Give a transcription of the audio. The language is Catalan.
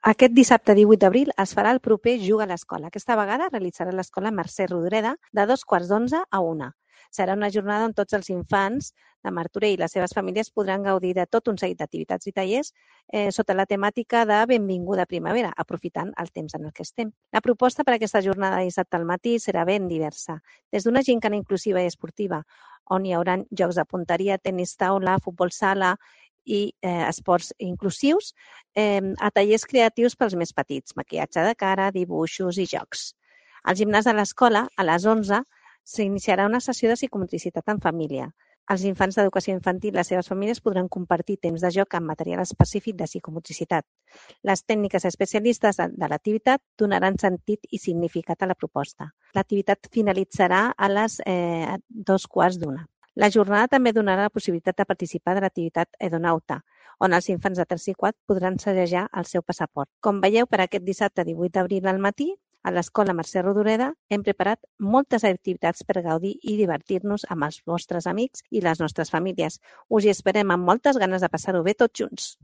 Aquest dissabte 18 d'abril es farà el proper Juga a l'Escola. Aquesta vegada realitzarà l'Escola Mercè Rodoreda de 2:15 a 1. Serà una jornada on tots els infants de Martorell i les seves famílies podran gaudir de tot un seguit d'activitats i tallers sota la temàtica de Benvinguda Primavera, aprofitant el temps en el que estem. La proposta per a aquesta jornada de dissabte al matí serà ben diversa, des d'una gincana inclusiva i esportiva, on hi haurà jocs de punteria, tenis taula, futbol sala i esports inclusius, a tallers creatius pels més petits, maquillatge de cara, dibuixos i jocs. Al gimnàs de l'escola, a les 11, s'iniciarà una sessió de psicomotricitat en família. Els infants d'educació infantil i les seves famílies podran compartir temps de joc amb material específic de psicomotricitat. Les tècniques especialistes de l'activitat donaran sentit i significat a la proposta. L'activitat finalitzarà a les 2:15. La jornada també donarà la possibilitat de participar de l'activitat Edonauta, on els infants de 3 i 4 podran sellejar el seu passaport. Com veieu, per aquest dissabte 18 d'abril al matí, a l'Escola Mercè Rodoreda hem preparat moltes activitats per gaudir i divertir-nos amb els vostres amics i les nostres famílies. Us hi esperem amb moltes ganes de passar-ho bé tots junts.